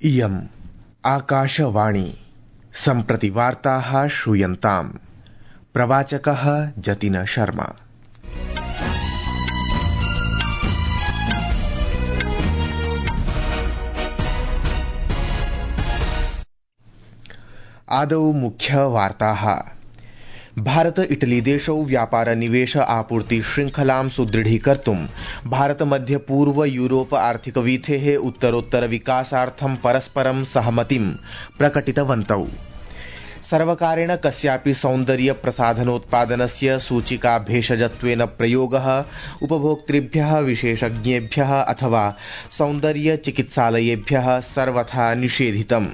इयम् आकाशवाणी सम्प्रति वार्ताः श्रूयन्ताम्। प्रवाचकः जतिन शर्मा। आदौ मुख्य वार्ताः। भारत इटली देशौ व्यापार निवेश आपूर्ति श्रृंखलां सुदृढीकर्तुं भारत मध्य पूर्व यूरोप आर्थिक वीथेः उत्तरोत्तर विकासार्थं परस्परं सहमतिं प्रकटितवन्तौ। सर्वकारेण कस्यापि सौन्दर्य प्रसाधनोत्पादनस्य सूचिका भेषजत्वेन प्रयोगः उपभोक्तृभ्यः विशेषज्ञेभ्यः अथवा सौन्दर्य चिकित्सालयेभ्यः सर्वथा निषेधितम्।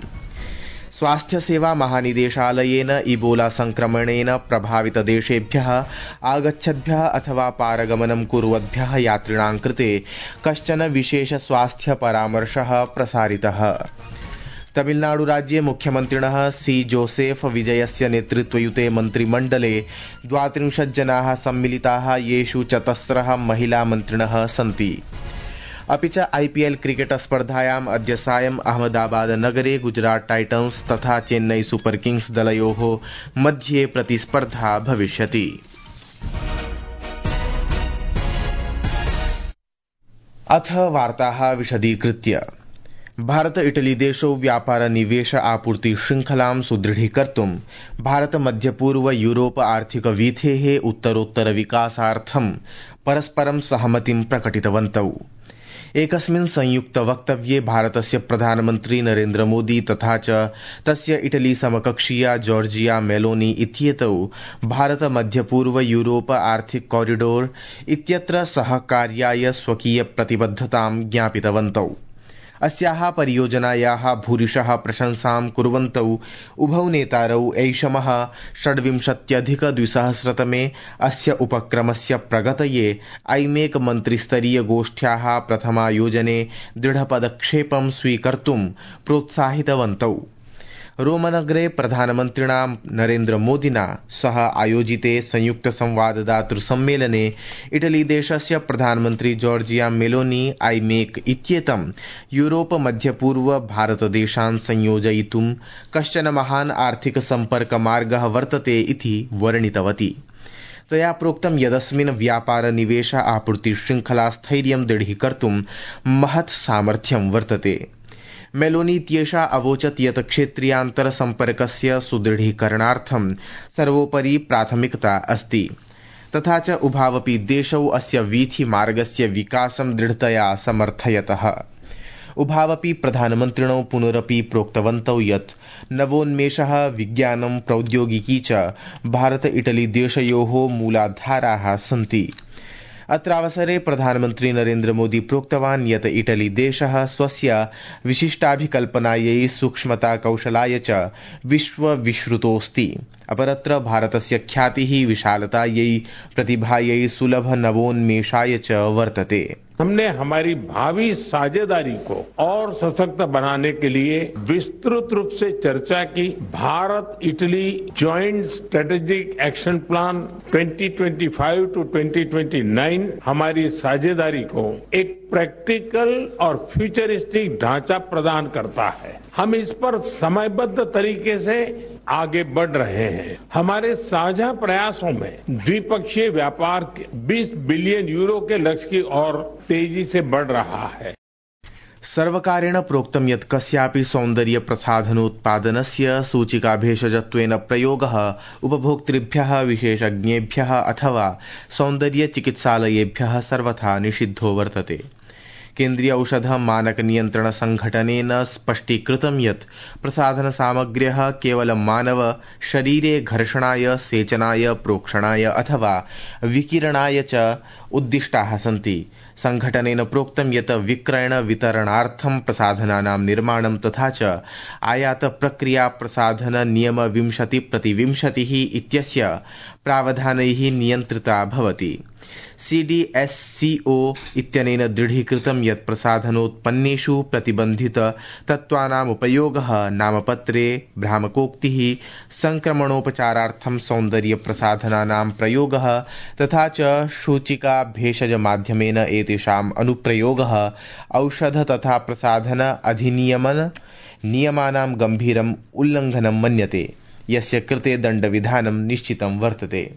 स्वास्थ्य सेवा महानिदेशालयेन इबोला संक्रमणेन प्रभावित देशेभ्यः आगच्छद्भ्यः अथवा पारगमनं कुर्वद्भ्यः यात्रिणां कृते कश्चन विशेष स्वास्थ्य परामर्शः प्रसारितः। तमिलनाडु राज्ये मुख्यमन्त्रिणः सी जोसेफ विजयस्य नेतृत्वयुते मन्त्रिमण्डले 32 जनाः सम्मिलिताः, येषु 4 महिला मन्त्रिणः सन्ति। अपि च IPL क्रिकेट स्पर्धायाम् अद्य सायम् अहमदाबाद नगरे गुजरात टाइटन्स तथा चेन्नई सुपर किंग्स दलयोः मध्ये प्रतिस्पर्धा भविष्यति। अथ वार्ताः विशदीकृत्य। भारत इटली देशौ व्यापार निवेश आपूर्ति श्रृंखलां सुदृढीकर्तुं भारत मध्य पूर्व यूरोप आर्थिक वीथेः उत्तरोत्तर विकासार्थं परस्परं सहमतिं प्रकटितवन्तौ। एकस्मिन् संयुक्त वक्तव्ये भारतस्य प्रधानमन्त्री नरेन्द्र मोदी तथा च तस्य इटली समकक्षीया जॉर्जिया मेलोनी इत्येतौ भारत मध्यपूर्व यूरोप आर्थिक कॉरिडोर इत्यत्र सहकार्याय स्वकीय प्रतिबद्धतां ज्ञापितवन्तौ। अस्याः परियोजनायाः भूरिशः प्रशंसां कुर्वन्तौ उभौ नेतारौ ऐषमः 26-2000 अस्य उपक्रमस्य प्रगतये IMEC मन्त्रिस्तरीय गोष्ठ्याः प्रथमायोजने दृढपदक्षेपं स्वीकर्तुं प्रोत्साहितवन्तौ। रोमनगरे प्रधानमन्त्रिणा नरेन्द्र मोदिना सह आयोजिते संयुक्त संवाददातृ सम्मेलने इटली देशस्य प्रधानमन्त्री जॉर्जिया मेलोनी IMEC इत्येतं यूरोप मध्यपूर्व भारतदेशान् संयोजयितुं कश्चन महान् आर्थिक सम्पर्कमार्गः वर्तते इति वर्णितवती। तया प्रोक्तं यदस्मिन् व्यापार निवेश आपूर्ति श्रृंखला स्थैर्यं दृढीकर्तुं महत् सामर्थ्यं वर्तते। मेलोनी इत्येषा अवोचत् यत् क्षेत्रीयान्तर सम्पर्कस्य सुदृढीकरणार्थं सर्वोपरि प्राथमिकता अस्ति, तथा च उभावपि देशौ अस्य वीथिमार्गस्य विकासं दृढतया समर्थयतः। उभावपि प्रधानमन्त्रिणौ पुनरपि प्रोक्तवन्तौ यत् नवोन्मेषः, विज्ञानं, प्रौद्योगिकी च भारत इटली देशयोः मूलाधाराः सन्ति। अत्रावसरे प्रधानमन्त्री नरेन्द्र मोदी प्रोक्तवान् यत् इटली देशः स्वस्य विशिष्टाभिकल्पनायै, सूक्ष्मता कौशलाय च विश्वविश्रुतोऽस्ति। अपरत्र भारतस्य ख्यातिः विशालतायै, प्रतिभायै, सुलभ नवोन्मेषाय च वर्तते। हमने हमारी भावी साझेदारी को और सशक्त बनाने के लिए विस्तृत रूप से चर्चा की। Bharat Italy joint strategic action plan 2025 to 2029 हमारी साझेदारी को एक प्रैक्टिकल और फ्यूचरिस्टिक ढांचा प्रदान करता है। हम इस पर समयबद्ध तरीके से आगे बढ़ रहे हैं। हमारे साझा प्रयासों में द्विपक्षीय व्यापार 20 बिलियन यूरो के लक्ष्य की ओर तेजी से बढ़ रहा है। सर्वकारेण प्रोक्तं यत् कस्यापि सौन्दर्य प्रसाधनोत्पादनस्य सूचिका भेषजत्वेन प्रयोगः उपभोक्तृभ्यः विशेषज्ञेभ्यः अथवा सौन्दर्य चिकित्सालयेभ्यः सर्वथा निषिद्धो वर्तते। केन्द्रीय औषध मानक नियंत्रण संघटनेन स्पष्टीकृतं यत् प्रसाधन सामग्र्यः केवलं मानव शरीरे घर्षणाय, सेचनाय, प्रोक्षणाय अथवा विकिरणाय च उद्दिष्टाः सन्ति। संघटनेन प्रोक्तं यत् विक्रयण वितरणार्थं प्रसाधनानां निर्माणं तथा च आयात प्रक्रिया प्रसाधन नियम 20/20 इत्यस्य प्रावधानैः नियन्त्रिता भवति। CDSCO इत्यनेन दृढीकृतं यत् प्रसाधनोत्पन्नेषु प्रतिबन्धित तत्त्वानाम् उपयोगः नामपत्रे, भ्रामकोक्तिः, संक्रमणोपचारार्थं सौन्दर्य प्रसाधनानां प्रयोगः तथा च सूचिका भेषज माध्यमेन एतेषाम् अनुप्रयोगः औषध तथा प्रसाधन अधिनियमन नियमानां गम्भीरम् उल्लङ्घनं मन्यते, यस्य कृते दण्डविधानं निश्चितं वर्तते।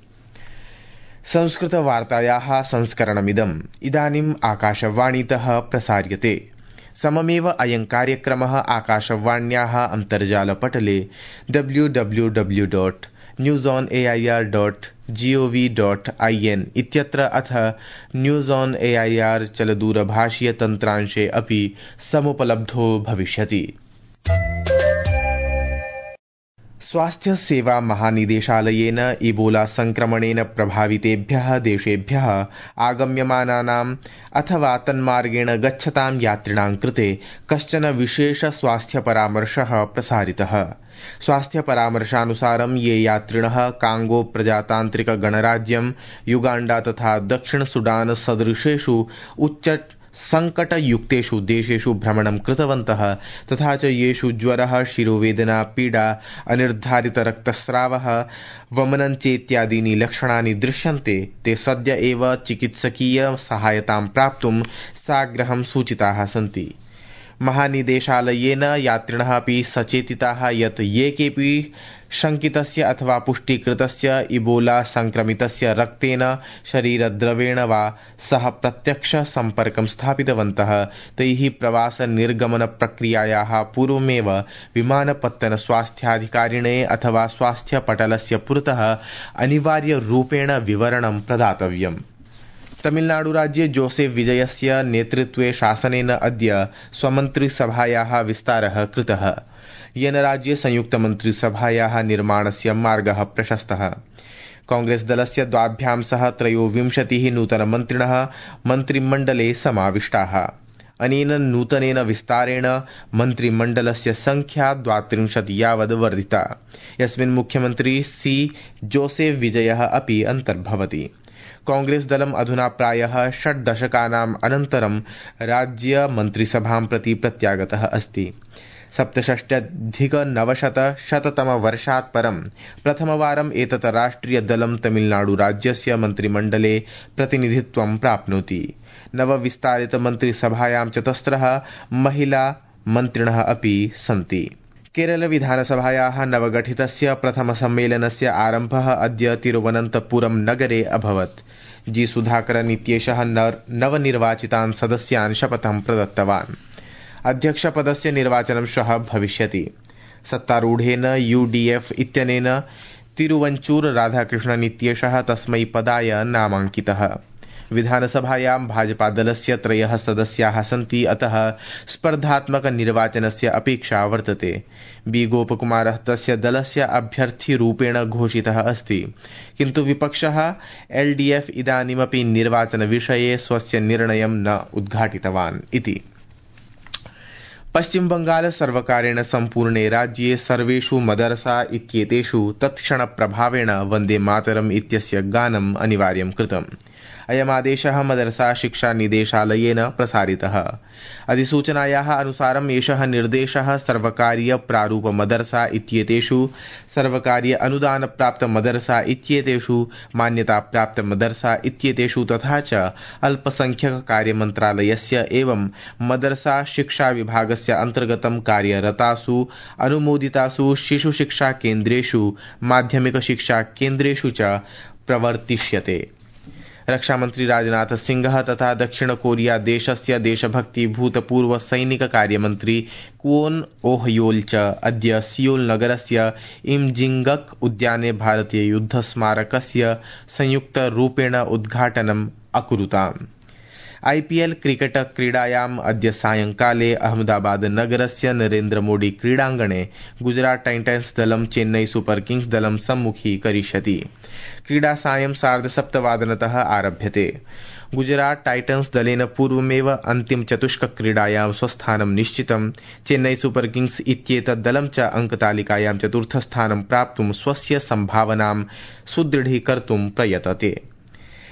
संस्कृतवार्तायाः संस्करणमिदम् इदानीम् आकाशवाणीतः प्रसार्यते। सममेव अयं कार्यक्रमः आकाशवाण्याः अन्तर्जालपटले www.newsonair.gov.in इत्यत्र अथ न्यूज़ ऑन AIR चलदूरभाषीयतन्त्रांशे अपि समुपलब्धो भविष्यति। स्वास्थ्य सेवा महानिदेशालयेन इबोला संक्रमणेन प्रभावितेभ्यः देशेभ्यः आगम्यमानानाम् अथवा तन्मार्गेण गच्छतां यात्रिणां कृते कश्चन विशेष स्वास्थ्य परामर्शः प्रसारितः। स्वास्थ्य परामर्शानुसारं ये यात्रिणः कांगो प्रजातान्त्रिक गणराज्यं, युगाण्डा तथा दक्षिण सुडान सदृशेषु उच्च संकटयुक्तेषु देशेषु भ्रमणं कृतवन्तः तथा च येषु ज्वरः, शिरोवेदना, पीडा, अनिर्धारित रक्तस्रावः, वमनं चेत्यादीनि लक्षणानि दृश्यन्ते, ते सद्य एव चिकित्सकीय सहायतां प्राप्तुं साग्रहं सूचिताः सन्ति। महानिदेशालयेन यात्रिणः अपि सचेतिताः यत् ये केऽपि शंकितस्य अथवा पुष्टिकृतस्य इबोला संक्रमितस्य रक्तेन, शरीरद्रवेण वा सह प्रत्यक्ष संपर्कं स्थापितवन्तः तैः प्रवास निर्गमन प्रक्रियायाः पूर्वमेव विमानपत्तन स्वास्थ्याधिकारिणे अथवा स्वास्थ्यपटलस्य पुरतः अनिवार्यरूपेण विवरणं प्रदातव्यम्। तमिलनाडुराज्ये जोसेफ विजयस्य नेतृत्वे शासनेन अद्य स्वमन्त्रिसभायाः विस्तारः कृतः, येन राज्ये संयुक्तमन्त्रिसभायाः निर्माणस्य मार्गः प्रशस्तः। कांग्रेस दलस्य द्वाभ्यां सह 23 नूतनमन्त्रिणः मन्त्रिमण्डले समाविष्टाः। अनेन नूतनेन विस्तारेण मन्त्रिमण्डलस्य संख्या 32 यावद् वर्धिता, यस्मिन् मुख्यमन्त्री सी जोसेफ विजयः अपि अन्तर्भवति। कांग्रेस दलम् अधुना प्रायः 6 दशकानाम् अनन्तरं राज्य मन्त्रिसभां प्रति प्रत्यागतः अस्ति। 67-900 परं प्रथमवारम् एतत् राष्ट्रियदलं तमिलनाडुराज्यस्य मन्त्रिमण्डले प्रतिनिधित्वं प्राप्नोति। नवविस्तारितमन्त्रिसभायां 4 महिला मन्त्रिणः अपि सन्ति। केरल विधानसभायाः नवगठितस्य प्रथमसम्मेलनस्य आरम्भः अद्य तिरुवनन्तपुरं नगरे अभवत्। जी सुधाकरन् इत्येषः नवनिर्वाचितान् सदस्यान् शपथं प्रदत्तवान्। अध्यक्षपदस्य निर्वाचनं श्वः भविष्यति। सत्तारूढेन UDF इत्यनेन तिरुवञ्चूर राधाकृष्णन् इत्येषः तस्मै पदाय नामाङ्कितः। विधानसभायां भाजपादलस्य 3 सदस्याः सन्ति, अतः स्पर्धात्मकनिर्वाचनस्य अपेक्षा वर्तते। बी गोपकुमारः तस्य दलस्य अभ्यर्थीरूपेण घोषितः अस्ति, किन्तु विपक्षः LDF इदानीमपि निर्वाचनविषये स्वस्य निर्णयं न उद्घाटितवान् इति। पश्चिमबंगाल सर्वकारेण सम्पूर्णे राज्ये सर्वेषु मदरसा इत्येतेषु तत्क्षणप्रभावेण वन्दे मातरम् इत्यस्य गानम् अनिवार्यं कृतम्। अयमादेशः मदरसा शिक्षा निदेशालयेन प्रसारितः। अधिसूचनायाः अनुसारम् एषः निर्देशः सर्वकारीय प्रारूप मदरसा इत्येतेषु, सर्वकारीय अनुदान प्राप्त मदरसा इत्येतेषु, मान्यता प्राप्त मदरसा इत्येतेषु तथा च अल्पसंख्यक कार्यमन्त्रालयस्य एवं मदरसा शिक्षा विभागस्य अन्तर्गतं कार्यरतासु अनुमोदितासु शिशुशिक्षा केन्द्रेषु, माध्यमिक शिक्षा केन्द्रेषु च प्रवर्तिष्यते। रक्षामन्त्री राजनाथ सिंह तथा दक्षिण कोरिया देशस्य देशभक्ति भूतपूर्व सैनिक कार्यमन्त्री क्वोन ओहयोल च अद्य सियोल नगरस्य इमजिंगक उद्याने भारतीय युद्धस्मारकस्य संयुक्तरूपेण उद्घाटनम् अकुरुताम्। IPL क्रिकेट क्रीडायाम् अद्य सायंकाले अहमदाबाद नगरस्य नरेन्द्र मोदी क्रीडाङ्गणे गुजरात टाइटन्स दलं चेन्नई सुपर किंग्स दलं सम्मुखीकरिष्यति। क्रीडा सायं 7:30 आरभ्यते। गुजरात टाइटन्स दलेन पूर्वमेव अन्तिम चतुष्क क्रीडायां स्वस्थानं निश्चितं। चेन्नई सुपर किंग्स इत्येतत् दलं च अंकतालिकायां 4th स्थानं प्राप्तुं स्वस्य सम्भावनां सुदृढीकर्तुं प्रयतते।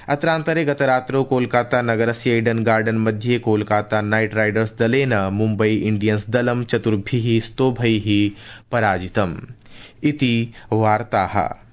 अत्रान्तरे गतरात्रौ कोलकाता नगरस्य ईडन गार्डन मध्ये कोलकाता नाइट राइडर्स दलेन मुम्बई इंडियंस दलं 4 स्तोभैः पराजितम् इति वार्ताः।